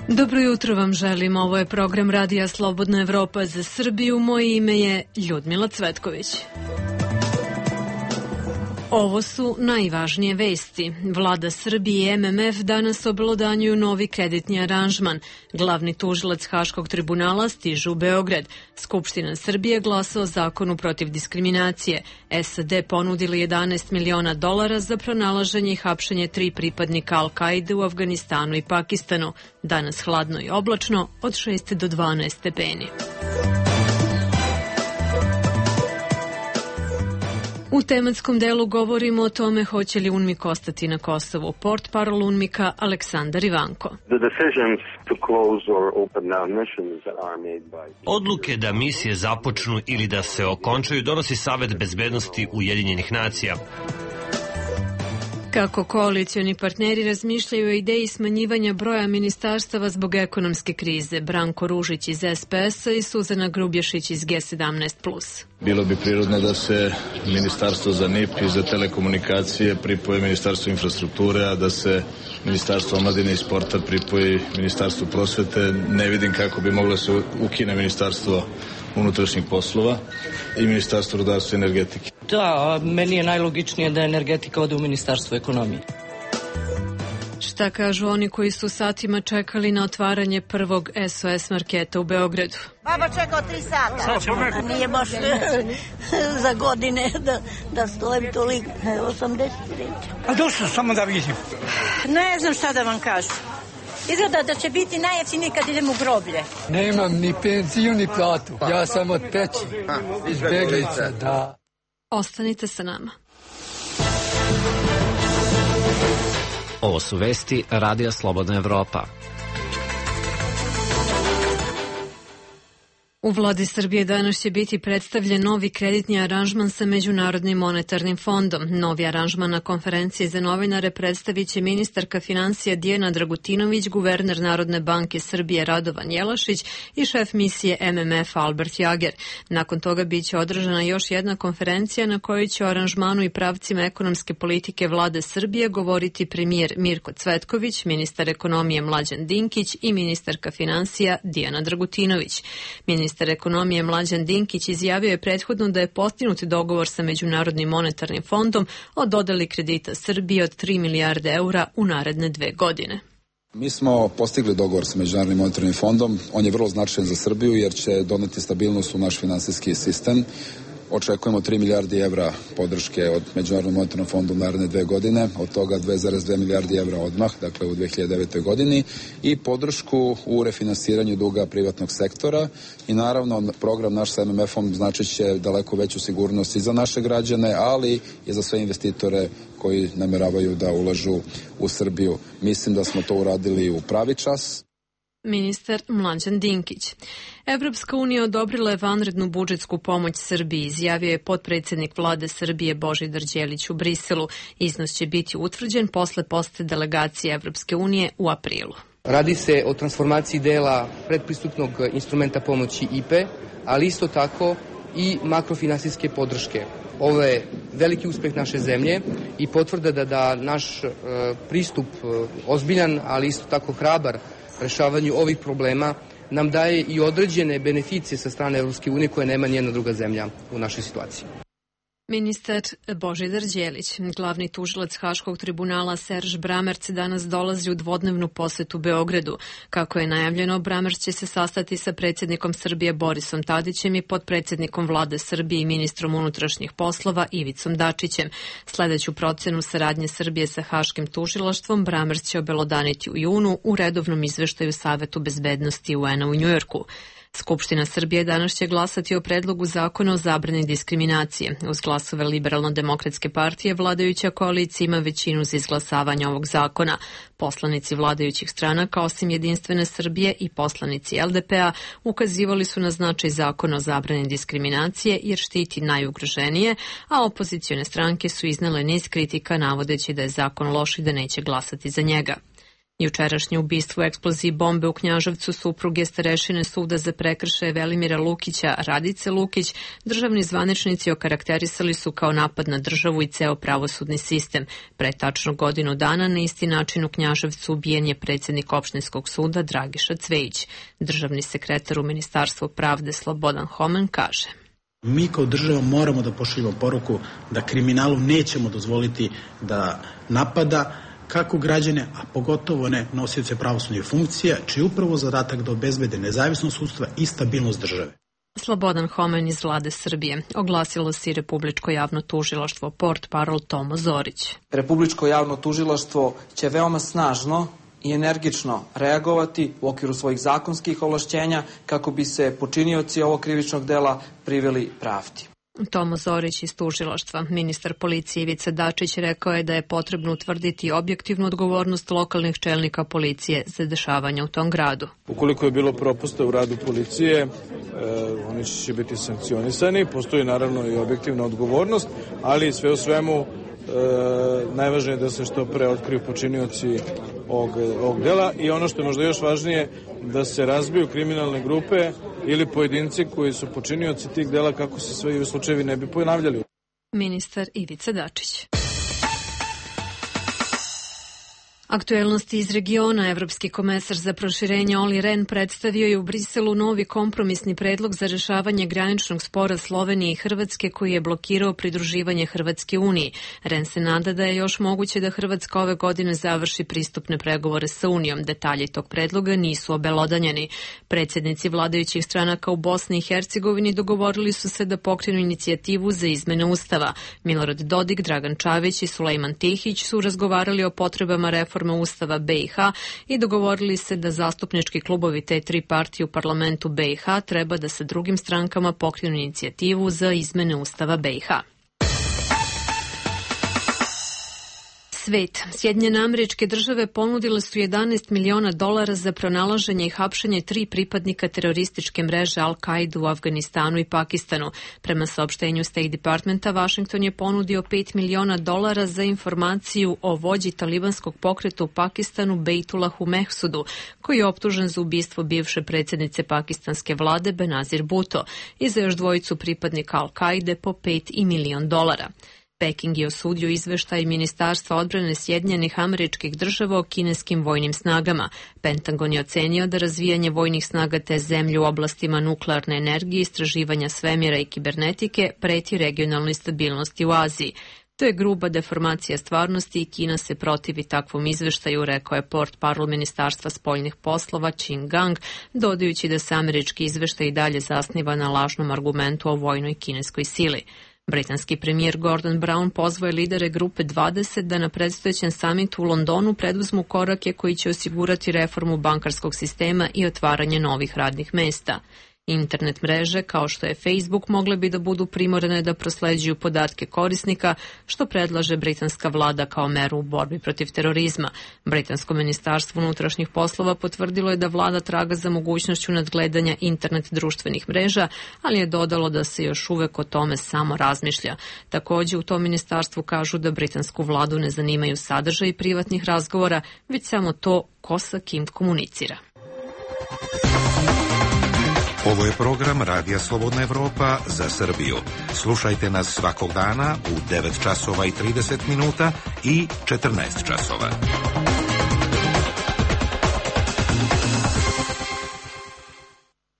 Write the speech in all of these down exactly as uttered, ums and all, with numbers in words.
Dobro jutro vam želim, ovo je program Radija Slobodna Evropa za Srbiju, moje ime je Ljudmila Cvetković. Ovo su najvažnije vesti. Vlada Srbije i M M F danas obelodanjuju novi kreditni aranžman. Glavni tužilac Haškog tribunala stiže u Beograd. Skupština Srbije glasa o zakonu protiv diskriminacije. S A D ponudili jedanaest miliona dolara za pronalaženje i hapšenje tri pripadnika Al-Kaide u Afganistanu i Pakistanu. Danas hladno i oblačno, od šest do dvanaest stepeni. U tematskom delu govorimo o tome hoće li UNMIK ostati na Kosovu. Portparol UNMIK-a Aleksandar Ivanko. Odluke da misije započnu ili da se okončaju donosi Savet bezbednosti Ujedinjenih nacija. Kako koalicioni partneri razmišljaju o ideji smanjivanja broja ministarstava zbog ekonomske krize, Branko Ružić iz S P S-a i Suzana Grubješić iz G sedamnaest plus. Bilo bi prirodno da se ministarstvo za N I P i za telekomunikacije pripoje ministarstvo infrastrukture, a da se ministarstvo omladine i sporta pripoji ministarstvo prosvete. Ne vidim kako bi moglo se ukine ministarstvo unutrašnjih poslova i ministarstvo rudarstva i energetike. Da, meni je najlogičnije da energetika ode u ministarstvo ekonomije. Šta kažu oni koji su satima čekali na otvaranje prvog S O S marketa u Beogradu? Baba čekao tri sata. Nije baš za godine da, da stojim toliko. osamdeset reći. A došlo samo da vidim. Ne znam šta da vam kažem. Izgleda da će biti najjeftiniji kad idem u groblje. Nemam ni penziju ni platu. Ja sam od peći. Izbjeglica, da. Ostanite sa nama. Ovo su vesti Radija Slobodna Evropa. U vladi Srbije danas će biti predstavljen novi kreditni aranžman sa Međunarodnim monetarnim fondom. Novi aranžman na konferenciji za novinare predstavit će ministarka financija Dijana Dragutinović, guverner Narodne banke Srbije Radovan Jelašić i šef misije M M F Albert Jager. Nakon toga biće održana još jedna konferencija na kojoj će o aranžmanu i pravcima ekonomske politike vlade Srbije govoriti premijer Mirko Cvetković, ministar ekonomije Mlađan Dinkić i ministarka financija Dijana Dragutinović. Ministar ekonomije Mlađan Dinkić izjavio je prethodno da je postignut dogovor sa Međunarodnim monetarnim fondom o dodeli kredita Srbije od tri milijarde eura u naredne dve godine. Mi smo postigli dogovor sa Međunarodnim monetarnim fondom. On je vrlo značajan za Srbiju jer će doneti stabilnost u naš finansijski sistem. Očekujemo tri milijarde evra podrške od Međunarodnog monetarnog fonda u naredne dve godine, od toga dve zarez dve milijarde evra odmah, dakle u dve hiljade devete. godini, i podršku u refinansiranju duga privatnog sektora i naravno program naš sa M M F-om znači će daleko veću sigurnost i za naše građane, ali i za sve investitore koji nameravaju da ulažu u Srbiju. Mislim da smo to uradili u pravi čas. Ministar Mlađan Dinkić. Evropska unija odobrila je vanrednu budžetsku pomoć Srbiji, izjavio je potpredsjednik vlade Srbije Božidar Đelić u Briselu. Iznos će biti utvrđen posle posete delegacije Evropske unije u aprilu. Radi se o transformaciji dela predpristupnog instrumenta pomoći I P E, ali isto tako i makrofinansijske podrške. Ovo je veliki uspeh naše zemlje i potvrda da, da naš e, pristup e, ozbiljan, ali isto tako hrabar rešavanju ovih problema nam daje i određene beneficije sa strane Evropske unije koje nema nijedna druga zemlja u našoj situaciji. Ministar Božidar Đelić, glavni tužilac Haškog tribunala Serž Bramerc danas dolazi u dvodnevnu posetu Beogradu. Kako je najavljeno, Bramerc će se sastati sa predsjednikom Srbije Borisom Tadićem i potpredsjednikom vlade Srbije i ministrom unutrašnjih poslova Ivicom Dačićem. Sledeću procenu saradnje Srbije sa Haškim tužilaštvom Bramerc će obelodaniti u junu u redovnom izveštaju Savetu bezbednosti U N-a u Njujorku. Skupština Srbije danas će glasati o predlogu zakona o zabrani diskriminacije. Uz glasove Liberalno-demokratske partije vladajuća koalicija ima većinu za izglasavanje ovog zakona. Poslanici vladajućih stranaka, osim Jedinstvene Srbije i poslanici L D P-a, ukazivali su na značaj zakona o zabrani diskriminacije jer štiti najugroženije, a opozicione stranke su iznele niz kritika navodeći da je zakon loš i da neće glasati za njega. Jučerašnje ubistvo u eksploziji bombe u Knjaževcu supruge starešine suda za prekršaje Velimira Lukića, Radice Lukić, državni zvaničnici okarakterisali su kao napad na državu i ceo pravosudni sistem. Pre tačno godinu dana na isti način u Knjaževcu ubijen je predsjednik opštinskog suda Dragiša Cvejić. Državni sekretar u Ministarstvu pravde Slobodan Homen kaže: Mi kao država moramo da pošaljemo poruku da kriminalu nećemo dozvoliti da napada kako građane, a pogotovo ne nosioce pravosudnih funkcija, čiji je upravo zadatak da obezbede nezavisnost sudstva i stabilnost države. Slobodan Homen iz Vlade Srbije. Oglasilo se i Republičko javno tužilaštvo, port parol Tomo Zorić. Republičko javno tužilaštvo će veoma snažno i energično reagovati u okviru svojih zakonskih ovlašćenja kako bi se počinioci ovog krivičnog dela priveli pravdi. Tomo Zorić iz tužilaštva. Ministar policije Ivica Dačić rekao je da je potrebno utvrditi objektivnu odgovornost lokalnih čelnika policije za dešavanja u tom gradu. Ukoliko je bilo propusta u radu policije, e, oni će biti sankcionisani. Postoji naravno i objektivna odgovornost, ali sve u svemu E, najvažnije je da se što pre otkriju počinioci ovog, ovog dela i ono što je možda još važnije, da se razbiju kriminalne grupe ili pojedinci koji su počinioci tih dela kako se sve i u slučajevi ne bi ponavljali. Ministar Ivica Dačić. Aktuelnosti iz regiona. Evropski komesar za proširenje Olli Rehn predstavio je u Briselu novi kompromisni predlog za rešavanje graničnog spora Slovenije i Hrvatske koji je blokirao pridruživanje Hrvatske Uniji. Rehn se nada da je još moguće da Hrvatska ove godine završi pristupne pregovore sa Unijom. Detalji tog predloga nisu obelodanjeni. Predsjednici vladajućih stranaka u Bosni i Hercegovini dogovorili su se da pokrenu inicijativu za izmene Ustava. Milorad Dodik, Dragan Čavić i Sulejman Tihić su razgovarali o potrebama reforme Ustava B i H i dogovorili se da zastupnički klubovi te tri partije u parlamentu B i H treba da sa drugim strankama pokrenu inicijativu za izmene Ustava B i H. Svet. Sjedinjene Američke Države ponudile su jedanaest miliona dolara za pronalaženje i hapšenje tri pripadnika terorističke mreže Al-Kaide u Afganistanu i Pakistanu. Prema saopštenju State Departmenta, Washington je ponudio pet miliona dolara za informaciju o vođi talibanskog pokreta u Pakistanu Bejtulahu Mehsudu, koji je optužen za ubistvo bivše predsjednice pakistanske vlade Benazir Bhutto i za još dvojicu pripadnika Al-Kaide po pet i milion dolara. Peking je osudio izveštaj Ministarstva odbrane Sjedinjenih Američkih Država o kineskim vojnim snagama. Pentagon je ocenio da razvijanje vojnih snaga te zemlje u oblastima nuklearne energije, istraživanja svemira i kibernetike preti regionalnoj stabilnosti u Aziji. To je gruba deformacija stvarnosti i Kina se protivi takvom izveštaju, rekao je port parol Ministarstva spoljnih poslova Qin Gang, dodajući da se američki izveštaj i dalje zasniva na lažnom argumentu o vojnoj kineskoj sili. Britanski premijer Gordon Brown pozvao je lidere grupe dvadeset da na predstojećem samitu u Londonu preduzmu korake koji će osigurati reformu bankarskog sistema i otvaranje novih radnih mesta. Internet mreže, kao što je Facebook, mogle bi da budu primorane da prosleđuju podatke korisnika, što predlaže britanska vlada kao meru u borbi protiv terorizma. Britansko ministarstvo unutrašnjih poslova potvrdilo je da vlada traga za mogućnošću nadgledanja internet društvenih mreža, ali je dodalo da se još uvek o tome samo razmišlja. Također u tom ministarstvu kažu da britansku vladu ne zanimaju sadržaj privatnih razgovora, već samo to ko sa kim komunicira. Ovo je program Radija Slobodna Evropa za Srbiju. Slušajte nas svakog dana u devet časova i trideset minuta i četrnaest časova.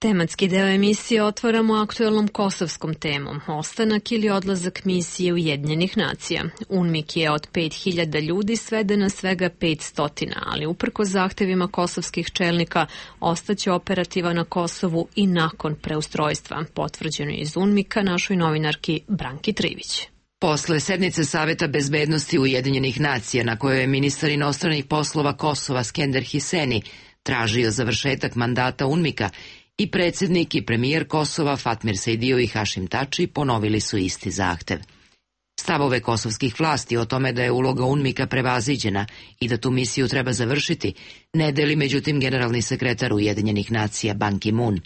Tematski deo emisije otvaramo aktuelnom kosovskom temom. Ostanak ili odlazak misije Ujedinjenih nacija. UNMIK je od pet hiljada ljudi sveden na svega petsto, ali uprko zahtevima kosovskih čelnika ostaće operativa na Kosovu i nakon preustrojstva. Potvrđeno je iz UNMIK-a našoj novinarki Branki Trivić. Posle sednice Saveta bezbednosti Ujedinjenih nacija na kojoj je ministar inostranih poslova Kosova Skender Hiseni tražio završetak mandata UNMIK-a, i predsjednik i premijer Kosova Fatmir Sejdijo i Hašim Tači ponovili su isti zahtev. Stavove kosovskih vlasti o tome da je uloga UNMIK-a prevaziđena i da tu misiju treba završiti, ne deli međutim generalni sekretar Ujedinjenih nacija Ban Ki-moon.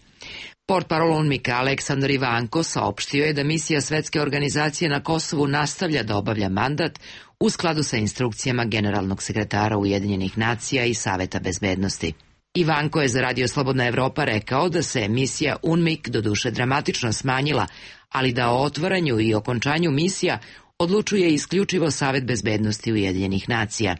Portparol UNMIK-a Aleksandar Ivanko saopštio je da misija Svetske organizacije na Kosovu nastavlja da obavlja mandat u skladu sa instrukcijama generalnog sekretara Ujedinjenih nacija i Saveta bezbednosti. Ivanko je za Radio Slobodna Evropa rekao da se misija UNMIK doduše dramatično smanjila, ali da o otvaranju i okončanju misija odlučuje isključivo Savet bezbednosti Ujedinjenih nacija.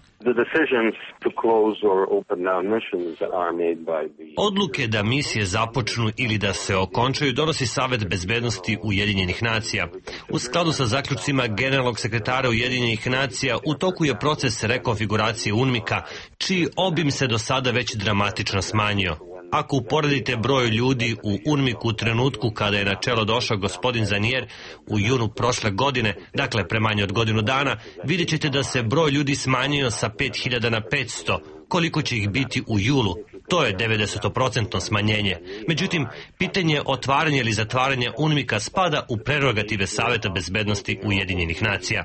Odluke da misije započnu ili da se okončaju donosi Savet bezbednosti Ujedinjenih nacija. U skladu sa zaključcima generalnog sekretara Ujedinjenih nacija u toku je proces rekonfiguracije UNMIK-a, čiji obim se do sada već dramatično smanjio. Ako uporedite broj ljudi u UNMIK-u u trenutku kada je na čelo došao gospodin Zanier u junu prošle godine, dakle pre manje od godinu dana, vidjet ćete da se broj ljudi smanjio sa pet hiljada na petsto. Koliko će ih biti u julu? To je devedeset procenti smanjenje. Međutim, pitanje otvaranja ili zatvaranja UNMIK-a spada u prerogative Saveta bezbednosti Ujedinjenih nacija.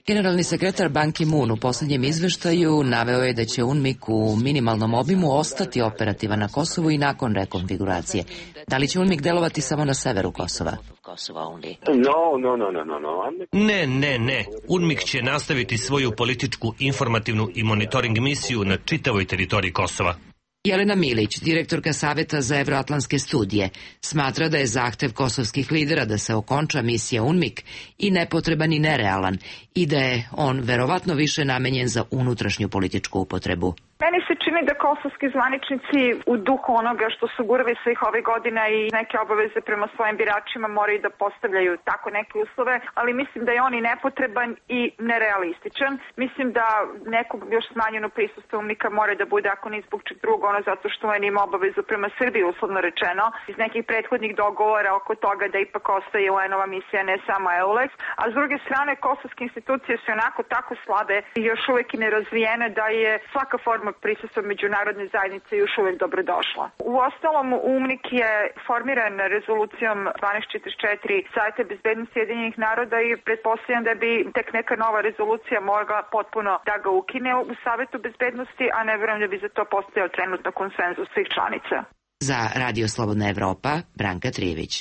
Generalni sekretar Ban Ki-moon u posljednjem izveštaju naveo je da će UNMIK u minimalnom obimu ostati operativan na Kosovu i nakon rekonfiguracije. Da li će UNMIK delovati samo na severu Kosova? Ne, ne, ne. UNMIK će nastaviti svoju političku, informativnu i monitoring misiju na čitavoj teritoriji Kosova. Jelena Milić, direktorka Saveta za evroatlantske studije, smatra da je zahtev kosovskih lidera da se okonča misija UNMIK i nepotreban i nerealan i da je on verovatno više namenjen za unutrašnju političku upotrebu. Meni se čini da kosovski zvaničnici u duhu onoga što su gurali svih ovih godina i neke obaveze prema svojim biračima moraju da postavljaju tako neke uslove, ali mislim da je on i nepotreban i nerealističan. Mislim da neko još smanjeno prisustvo UNMIK-a mora da bude, ako ni zbog čeg drugo, ono zato što on ima obavezu prema Srbiji, uslovno rečeno, iz nekih prethodnih dogovora oko toga da ipak ostaje U N-ova misija, ne samo EULEX, a s druge strane kosovske institucije su onako tako slabe i još uvek i nerazvijene da je svaka forma prisustva međunarodne zajednice još uvek dobrodošla. U ostalom, UNMIK je formiran rezolucijom dvanaest četrdeset četiri Saveta bezbednosti Ujedinjenih naroda i pretpostavljam da bi tek neka nova rezolucija mogla potpuno da ga ukine u Savetu bezbednosti, a ne verujem da bi za to postojao trenutno konsenzus svih članica. Za Radio Slobodna Evropa, Branka Trijević.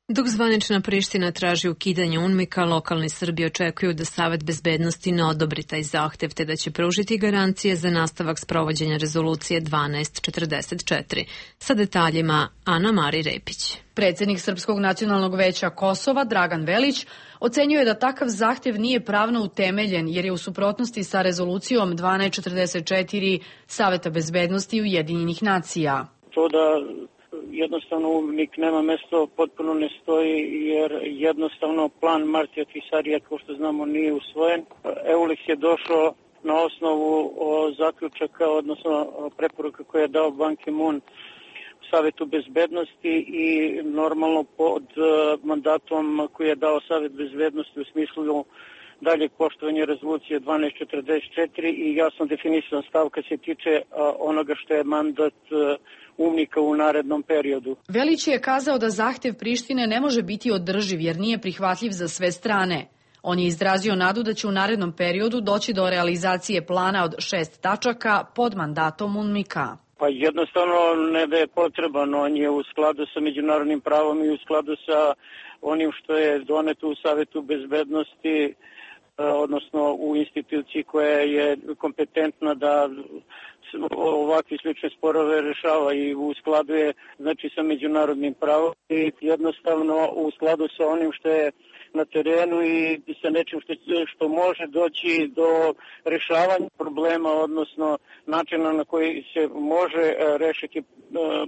Dok zvanična Priština traži ukidanje UNMIK-a, lokalni Srbi očekuju da Savet bezbednosti ne odobri taj zahtev, te da će pružiti garancije za nastavak sprovođenja rezolucije dvanaest četrdeset četiri. Sa detaljima Ana Mari Repić. Predsednik Srpskog nacionalnog veća Kosova, Dragan Velić, ocenjuje da takav zahtev nije pravno utemeljen jer je u suprotnosti sa rezolucijom dvanaest četrdeset četiri Saveta bezbednosti Ujedinjenih nacija. To da jednostavno UNMIK nema mesto, potpuno ne stoji jer jednostavno plan Martija Tisarija, kao što znamo, nije usvojen. EULEX je došao na osnovu zaključaka, odnosno preporuka koje je dao Ban Ki-moon Savetu bezbednosti i normalno pod mandatom koji je dao Savet bezbednosti u smislu daljeg poštovanja rezolucije dvanaest četrdeset četiri i jasno definisan stav kad se tiče onoga što je mandat UNMIK-a u narednom periodu. Velić je kazao da zahtev Prištine ne može biti održiv jer nije prihvatljiv za sve strane. On je izrazio nadu da će u narednom periodu doći do realizacije plana od šest tačaka pod mandatom UNMIK-a. Pa jednostavno ne da je potreban, on je u skladu sa međunarodnim pravom i u skladu sa onim što je doneto u Savetu bezbednosti, odnosno u instituciji koja je kompetentna da ovakvi slične sporove rešava i u skladu je znači sa međunarodnim pravom i jednostavno u skladu sa onim što je na terenu i sa nečim što, što može doći do rešavanja problema, odnosno načina na koji se može rešiti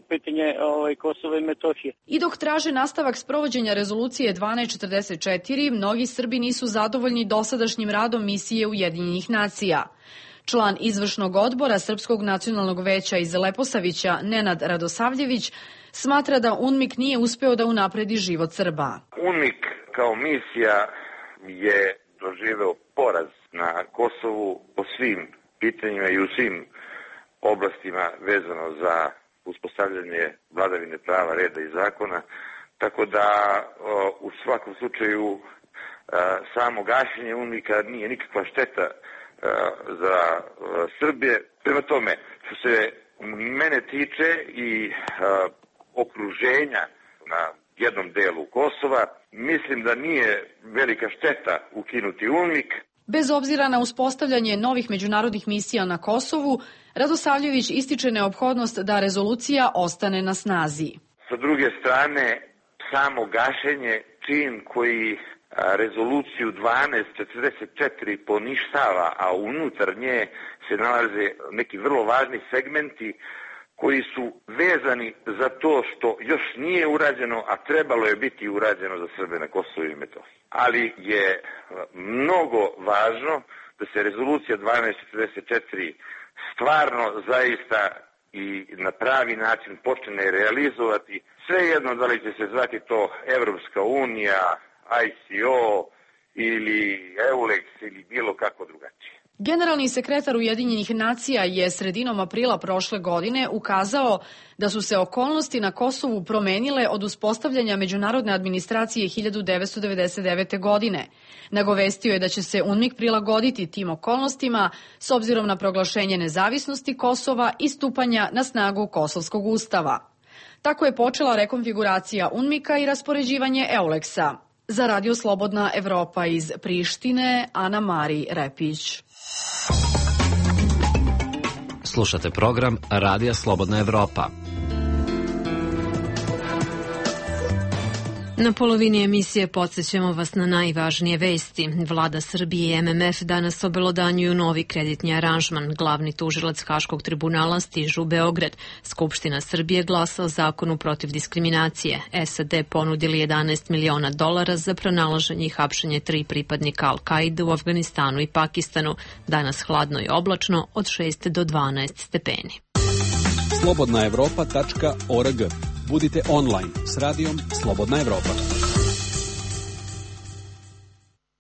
pitanje ovaj, Kosova i Metohije. I dok traže nastavak sprovođenja rezolucije dvanaest četrdeset četiri, mnogi Srbi nisu zadovoljni dosadašnjim radom misije Ujedinjenih nacija. Član izvršnog odbora Srpskog nacionalnog veća iz Leposavića, Nenad Radosavljević, smatra da UNMIK nije uspeo da unapredi život Srba. UNMIK kao misija je doživeo poraz na Kosovu po svim pitanjima i u svim oblastima vezano za uspostavljanje vladavine prava, reda i zakona, tako da u svakom slučaju samo gašenje UNMIK-a nije nikakva šteta za Srbije. Prema tome, što se mene tiče i okruženja na jednom delu Kosova, mislim da nije velika šteta ukinuti UNMIK. Bez obzira na uspostavljanje novih međunarodnih misija na Kosovu, Radosavljević ističe neophodnost da rezolucija ostane na snazi. Sa druge strane, samo gašenje, čin koji rezoluciju dvanaest četrdeset četiri poništava, a unutar nje se nalaze neki vrlo važni segmenti koji su vezani za to što još nije urađeno, a trebalo je biti urađeno za Srbe na Kosovu i Metohiji. Ali je mnogo važno da se rezolucija dvanaest četrdeset četiri stvarno zaista i na pravi način počne realizovati. Svejedno da li će se zvati to Evropska unija, I C O ili EULEX ili bilo kako drugačije. Generalni sekretar Ujedinjenih nacija je sredinom aprila prošle godine ukazao da su se okolnosti na Kosovu promenile od uspostavljanja međunarodne administracije hiljadu devetsto devedeset devete. godine. Nagovestio je da će se UNMIK prilagoditi tim okolnostima s obzirom na proglašenje nezavisnosti Kosova i stupanja na snagu Kosovskog ustava. Tako je počela rekonfiguracija UNMIK-a i raspoređivanje EULEX-a. Za Radio Slobodna Evropa iz Prištine, Ana Mari Repić. Slušate program Radija Slobodna Evropa. Na polovini emisije podsjećamo vas na najvažnije vesti. Vlada Srbije i M M F danas obelodanjuju novi kreditni aranžman. Glavni tužilac Haškog tribunala stižu u Beograd. Skupština Srbije glasa o zakonu protiv diskriminacije. S A D ponudili jedanaest miliona dolara za pronalaženje i hapšenje tri pripadnika Al-Kaide u Afganistanu i Pakistanu. Danas hladno i oblačno od šest do dvanaest stepeni. slobodna evropa tačka org. Budite online s radijom Slobodna Evropa.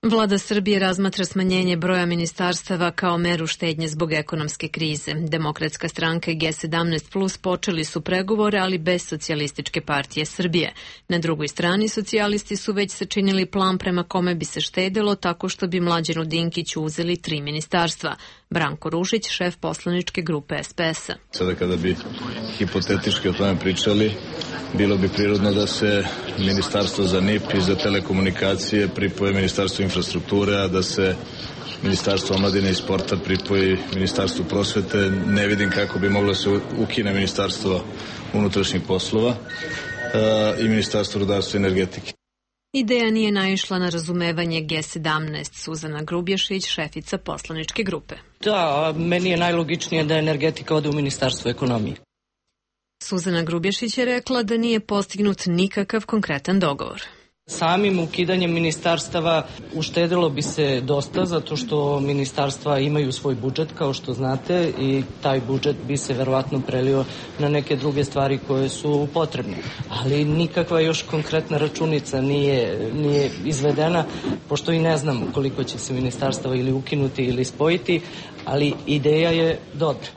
Vlada Srbije razmatra smanjenje broja ministarstava kao meru štednje zbog ekonomske krize. Demokratska stranka i G sedamnaest plus počeli su pregovore, ali bez Socijalističke partije Srbije. Na drugoj strani, socijalisti su već sačinili plan prema kome bi se štedelo tako što bi Mlađanu Dinkiću uzeli tri ministarstva. Branko Ružić, šef poslaničke grupe S P S-a. Sada kada bi hipotetički o tome pričali, bilo bi prirodno da se ministarstvo za N I P i za telekomunikacije pripoje ministarstvo infrastrukture, a da se ministarstvo omladine i sporta pripoji ministarstvu prosvete. Ne vidim kako bi moglo se ukine ministarstvo unutrašnjih poslova i ministarstvo rudarstva i energetike. Ideja nije naišla na razumevanje G sedamnaest. Suzana Grubješić, šefica poslaničke grupe. Da, meni je najlogičnije da energetika ode u ministarstvo ekonomije. Suzana Grubješić je rekla da nije postignut nikakav konkretan dogovor. Samim ukidanjem ministarstava uštedilo bi se dosta, zato što ministarstva imaju svoj budžet, kao što znate, i taj budžet bi se verovatno prelio na neke druge stvari koje su potrebne. Ali nikakva još konkretna računica nije, nije izvedena, pošto i ne znam koliko će se ministarstava ili ukinuti ili spojiti, ali ideja je dobra.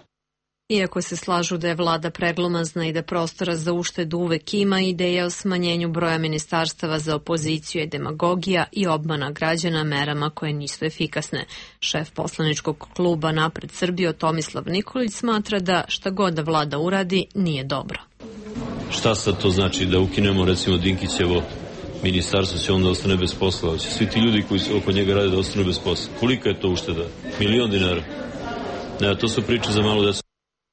Iako se slažu da je vlada preglomazna i da prostora za uštedu uvek ima, ideja o smanjenju broja ministarstava za opoziciju je demagogija i obmana građana merama koje nisu efikasne. Šef poslaničkog kluba Napred Srbiju Tomislav Nikolić smatra da šta god da vlada uradi nije dobro. Šta sad to znači da ukinemo recimo Dinkićevo ministarstvo, će onda ostane bez posla? Će svi ti ljudi koji oko njega rade da ostane bez posla? Kolika je to ušteda? Milion dinara? Ne, to su priče za malo decu.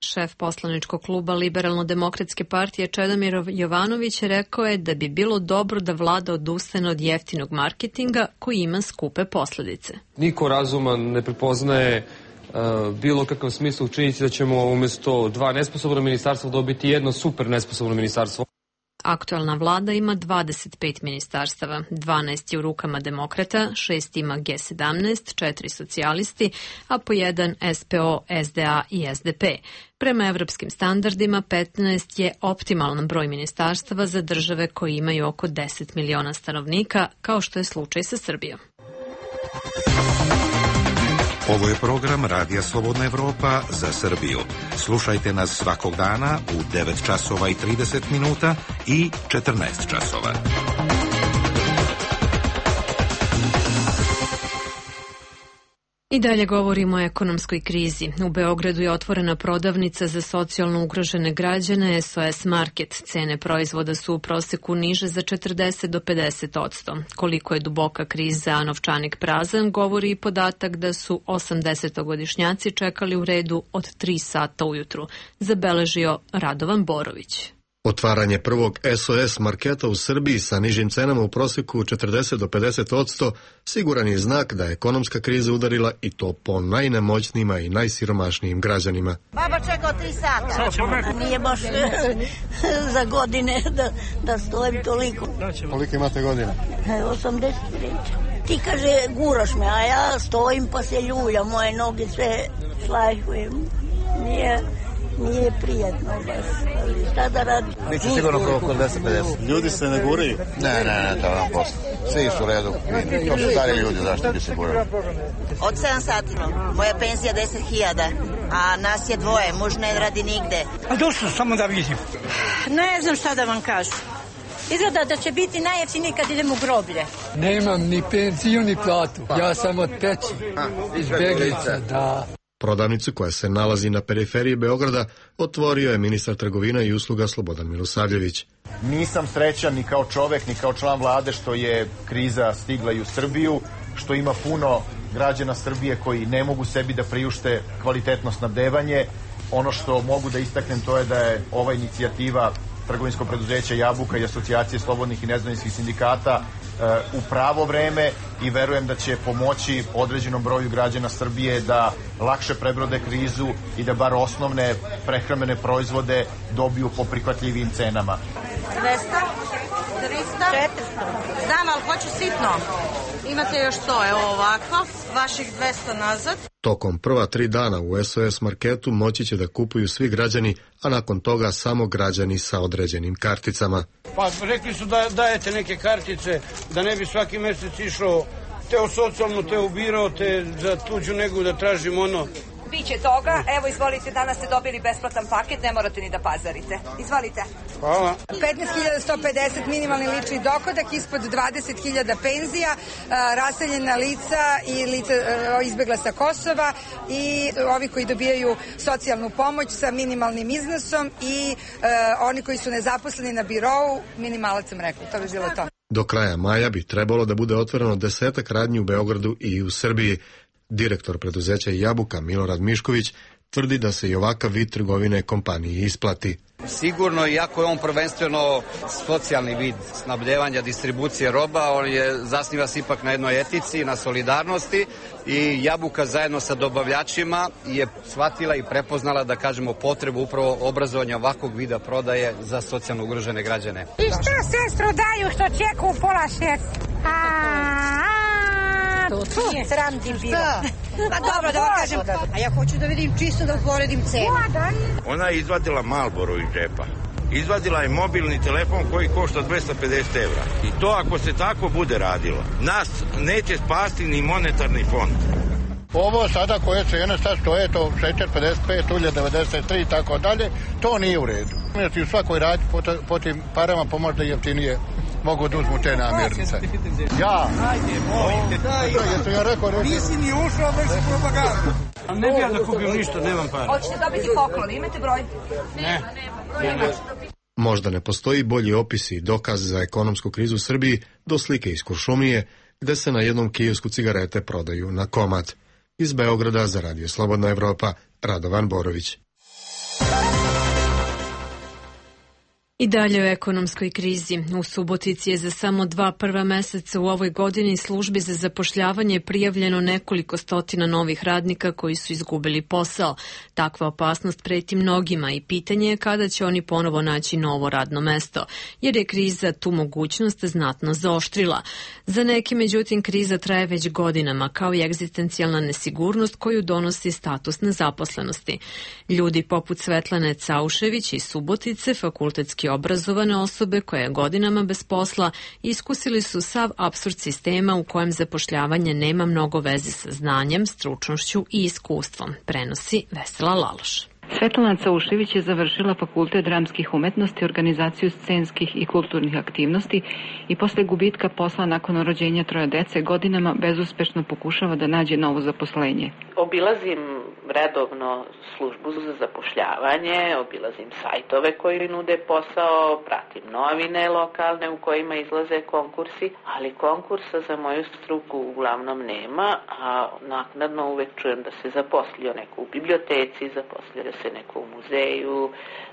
Šef poslaničkog kluba Liberalno-demokratske partije Čedomir Jovanović rekao je da bi bilo dobro da vlada odustane od jeftinog marketinga koji ima skupe posledice. Niko razuman ne prepoznaje uh, bilo kakav smisla u činjenici da ćemo umjesto dva nesposobna ministarstva dobiti jedno super nesposobno ministarstvo. Aktualna vlada ima dvadeset pet ministarstava, dvanaest je u rukama demokrata, šest ima G sedamnaest, četiri socijalisti, a po jedan S P O, S D A i S D P. Prema evropskim standardima, petnaest je optimalan broj ministarstava za države koje imaju oko deset miliona stanovnika, kao što je slučaj sa Srbijom. Ovo je program Radija Slobodna Evropa za Srbiju. Slušajte nas svakog dana u devet časova i trideset minuta i četrnaest časova. I dalje govorimo o ekonomskoj krizi. U Beogradu je otvorena prodavnica za socijalno ugrožene građane S O S Market. Cene proizvoda su u proseku niže za četrdeset do pedeset odsto. Koliko je duboka kriza, a novčanik prazan, govori i podatak da su osamdesetogodišnjaci čekali u redu od tri sata ujutru, zabeležio Radovan Borović. Otvaranje prvog S O S marketa u Srbiji sa nižim cenama u proseku četrdeset do pedeset odsto siguran je znak da je ekonomska kriza udarila i to po najnemoćnijima i najsiromašnijim građanima. Baba čekao tri sata. Nije baš za godine da, da stojim toliko. Koliko imate godina? osamdeset tri. Ti kaže guraš me, a ja stojim pa se ljulja, moje noge sve šlajhujem. Nije... Nije prijatno baš, ali šta da radi? Biće sigurno oko dvesta pedeset. Ljudi se ne guraju? Ne, ne, ne, to vam posle. Svi su u redu. To su stari ljudi, zašto bi se gurali? Od sedam sati. Moja penzija deset hiljada, a nas je dvoje, muž ne radi nigde. A došlo samo da vidim. Ne znam šta da vam kažem. Izgleda da će biti najjeftiniji kad idem u groblje. Nemam ni penziju ni platu. Ja sam od peći. Izbjeglica, da. Prodavnicu koja se nalazi na periferiji Beograda otvorio je ministar trgovina i usluga Slobodan Milosavljević. Nisam srećan ni kao čovek, ni kao član vlade što je kriza stigla i u Srbiju, što ima puno građana Srbije koji ne mogu sebi da priušte kvalitetno snabdevanje. Ono što mogu da istaknem to je da je ova inicijativa trgovinskog preduzeća Jabuka i Asocijacije slobodnih i nezavisnih sindikata u pravo vreme i verujem da će pomoći određenom broju građana Srbije da lakše prebrode krizu i da bar osnovne prehrambene proizvode dobiju po prihvatljivim cenama. dvesta, trista, četiristo. Znam, ali hoću sitno. Imate još sto, evo ovako, vaših dvesta nazad. Tokom prva tri dana u S O S marketu moći će da kupuju svi građani, a nakon toga samo građani sa određenim karticama. Pa rekli su da dajete neke kartice, da ne bi svaki mesec išao te u socijalnu, te ubirao, te za tuđu negu da tražim ono. Biće toga, evo izvolite, danas ste dobili besplatan paket, ne morate ni da pazarite. Izvolite. Hvala. petnaest hiljada sto pedeset minimalni lični dohodak, ispod dvadeset hiljada penzija, raseljena lica i lica izbegla sa Kosova i ovi koji dobijaju socijalnu pomoć sa minimalnim iznosom i oni koji su nezaposleni na birou, minimalac sam rekla, to bi bilo to. Do kraja maja bi trebalo da bude otvoreno desetak radnji u Beogradu i u Srbiji. Direktor preduzeća Jabuka Milorad Mišković tvrdi da se i ovakav vid trgovine kompaniji isplati. Sigurno, iako je on prvenstveno socijalni vid snabdevanja, distribucije roba, on je zasniva se ipak na jednoj etici, na solidarnosti i Jabuka zajedno sa dobavljačima je shvatila i prepoznala, da kažemo, potrebu upravo obrazovanja ovakvog vida prodaje za socijalno ugrožene građane. I šta sestro daju što čeku u pola šest? To je sram ti bilo. Pa dobro, da vam kažem, a ja hoću da vidim čisto da uporedim cenu. Ona je izvadila Marlboro iz džepa. Izvadila je mobilni telefon koji košta dvesta pedeset evra. I to ako se tako bude radilo, nas neće spasti ni monetarni fond. Ovo sada koje cene sad stoje, to šećer pedeset pet, ulje devedeset tri i tako dalje, to nije u redu. Znači u svakoj radi po, po tim parama pomožda jeftinije mogu da uzmu te namirnice. Ja? Ajde, molim te, daj. Jesam ja rekao, rekao. Nisi ni ušao, već si propagandu. A ne bi ja da kupim ništa, nemam para. Hoćete dobiti poklon, imate broj? Ne. Možda ne postoji bolji opis i dokaz za ekonomsku krizu u Srbiji do slike iz Kuršumlije, gde se na jednom kiosku cigarete prodaju na komad. Iz Beograda za Radio Slobodna Evropa, Radovan Borović. I dalje u ekonomskoj krizi. U Subotici je za samo dva prva meseca u ovoj godini službi za zapošljavanje prijavljeno nekoliko stotina novih radnika koji su izgubili posao. Takva opasnost preti mnogima i pitanje je kada će oni ponovo naći novo radno mesto, jer je kriza tu mogućnost znatno zaoštrila. Za neke, međutim, kriza traje već godinama, kao i egzistencijalna nesigurnost koju donosi status nezaposlenosti. Ljudi poput Svetlane Caušević iz Subotice, fakultetski obrazovane osobe koje je godinama bez posla, iskusili su sav apsurd sistema u kojem zapošljavanje nema mnogo veze sa znanjem, stručnošću i iskustvom, prenosi Vesela Laloš. Svetlana Caušević je završila Fakultet dramskih umetnosti, organizaciju scenskih i kulturnih aktivnosti i posle gubitka posla nakon rođenja troje dece godinama bezuspešno pokušava da nađe novo zaposlenje. Obilazim redovno službu za zapošljavanje, obilazim sajtove koji nude posao, pratim novine lokalne u kojima izlaze konkursi, ali konkursa za moju struku uglavnom nema, a naknadno uvek čujem da se zaposlio neko u biblioteci, zaposlio se neko u muzeju,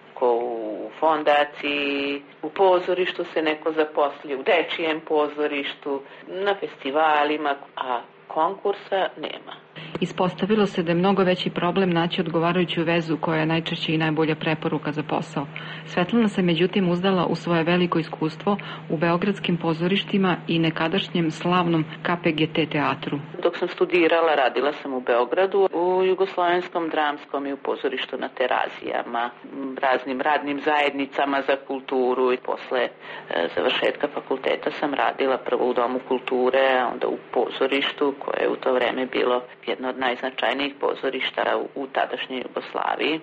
neko u fondaciji, u pozorištu se neko zaposlio, u dečijem pozorištu, na festivalima, a konkursa nema. Ispostavilo se da je mnogo veći problem naći odgovarajuću vezu koja je najčešće i najbolja preporuka za posao. Svetlana se međutim uzdala u svoje veliko iskustvo u beogradskim pozorištima i nekadašnjem slavnom K P G T teatru. Dok sam studirala, radila sam u Beogradu, u Jugoslovenskom dramskom i u pozorištu na Terazijama, raznim radnim zajednicama za kulturu i posle e, završetka fakulteta sam radila prvo u Domu kulture, a onda u pozorištu koje je u to vreme bilo jedno od najznačajnijih pozorišta u, u tadašnjoj Jugoslaviji.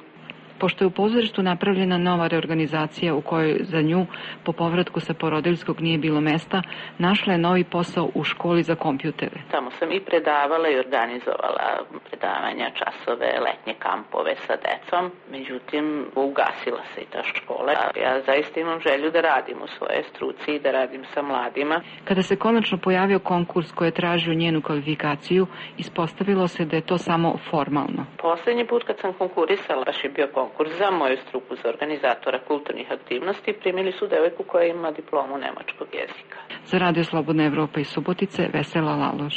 Pošto je u pozorištu napravljena nova reorganizacija u kojoj za nju po povratku sa porodiljskog nije bilo mesta, našla je novi posao u školi za kompjutere. Tamo sam i predavala i organizovala predavanja, časove, letnje kampove sa decom, međutim ugasila se i ta škola. Ja zaista imam želju da radim u svojoj struci i da radim sa mladima. Kada se konačno pojavio konkurs koji je tražio njenu kvalifikaciju, ispostavilo se da je to samo formalno. Poslednji put kad sam konkurisala, baš je bio konkurs za moju struku za organizatora kulturnih aktivnosti, primili su devojku koja ima diplomu nemačkog jezika. Za Radio Slobodna Evropa iz Subotice, Vesela Laloš.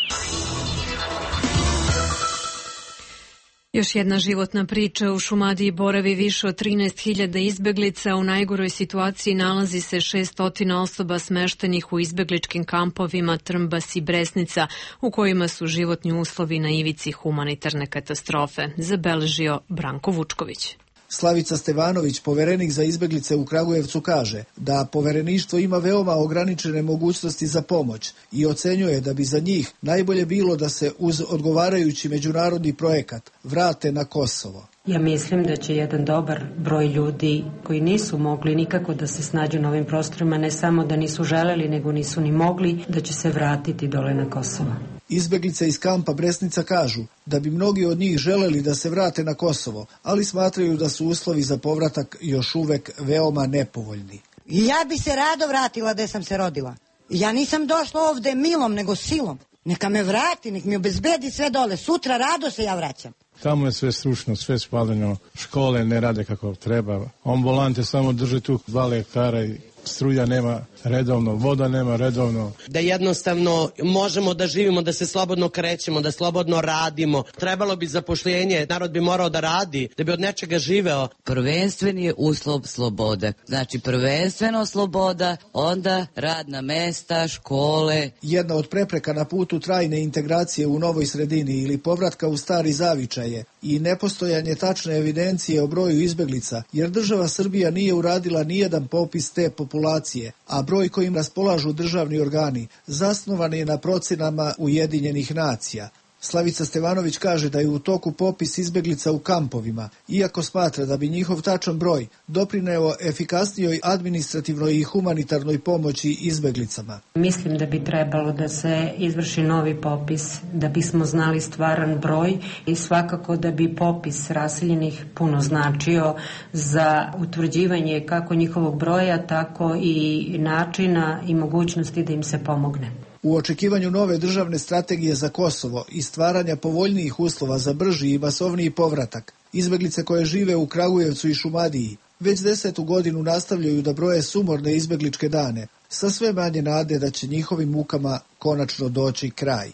Još jedna životna priča. U Šumadiji boravi više od trinaest hiljada izbeglica. U najgoroj situaciji nalazi se šesto osoba smeštenih u izbegličkim kampovima Trmbas i Bresnica, u kojima su životni uslovi na ivici humanitarne katastrofe, zabeležio Branko Vučković. Slavica Stevanović, poverenik za izbeglice u Kragujevcu, kaže da povereništvo ima veoma ograničene mogućnosti za pomoć i ocenjuje da bi za njih najbolje bilo da se uz odgovarajući međunarodni projekat vrate na Kosovo. Ja mislim da će jedan dobar broj ljudi koji nisu mogli nikako da se snađu na ovim prostorima, ne samo da nisu želeli, nego nisu ni mogli, da će se vratiti dole na Kosovo. Izbeglice iz kampa Bresnica kažu da bi mnogi od njih želeli da se vrate na Kosovo, ali smatraju da su uslovi za povratak još uvek veoma nepovoljni. Ja bi se rado vratila gde sam se rodila. Ja nisam došla ovde milom, nego silom. Neka me vrati, nek mi obezbedi sve dole. Sutra rado se ja vraćam. Tamo je sve stručno, sve spaljeno, škole ne rade kako treba. Ambulante samo drže tu dva lekara i struja nema redovno, voda nema redovno. Da jednostavno možemo da živimo, da se slobodno krećemo, da slobodno radimo. Trebalo bi zapošljenje, narod bi morao da radi, da bi od nečega živeo. Prvenstveni je uslov sloboda. Znači prvenstveno sloboda, onda radna mesta, škole. Jedna od prepreka na putu trajne integracije u novoj sredini ili povratka u stari zavičaje i nepostojanje tačne evidencije o broju izbeglica, jer država Srbija nije uradila nijedan popis te populacije, a broj kojim raspolažu državni organi zasnovan je na procenama Ujedinjenih nacija. Slavica Stevanović kaže da je u toku popis izbeglica u kampovima, iako smatra da bi njihov tačan broj doprineo efikasnijoj administrativnoj i humanitarnoj pomoći izbeglicama. Mislim da bi trebalo da se izvrši novi popis, da bismo znali stvaran broj i svakako da bi popis raseljenih puno značio za utvrđivanje kako njihovog broja, tako i načina i mogućnosti da im se pomogne. U očekivanju nove državne strategije za Kosovo i stvaranja povoljnijih uslova za brži i masovniji povratak, izbeglice koje žive u Kragujevcu i Šumadiji već desetu godinu nastavljaju da broje sumorne izbegličke dane, sa sve manje nade da će njihovim mukama konačno doći kraj.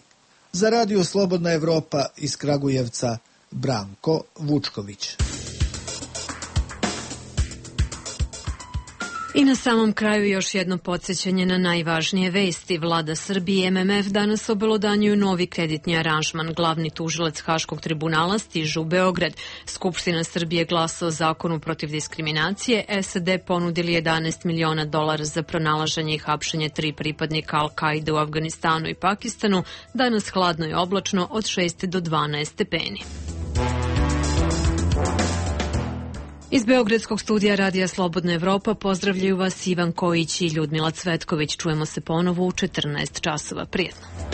Za Radio Slobodna Evropa iz Kragujevca, Branko Vučković. I na samom kraju još jedno podsjećanje na najvažnije vesti. Vlada Srbije i M M F danas obelodanjuju novi kreditni aranžman. Glavni tužilac Haškog tribunala stiže u Beograd. Skupština Srbije glasa o zakonu protiv diskriminacije. S A D ponudili jedanaest miliona dolara za pronalaženje i hapšenje tri pripadnika Al-Kaide u Afganistanu i Pakistanu. Danas hladno i oblačno od šest do dvanaest stepeni. Iz Beogradskog studija Radija Slobodna Evropa pozdravljaju vas Ivan Kojić i Ljudmila Cvetković. Čujemo se ponovo u četrnaest časova. Prijetno.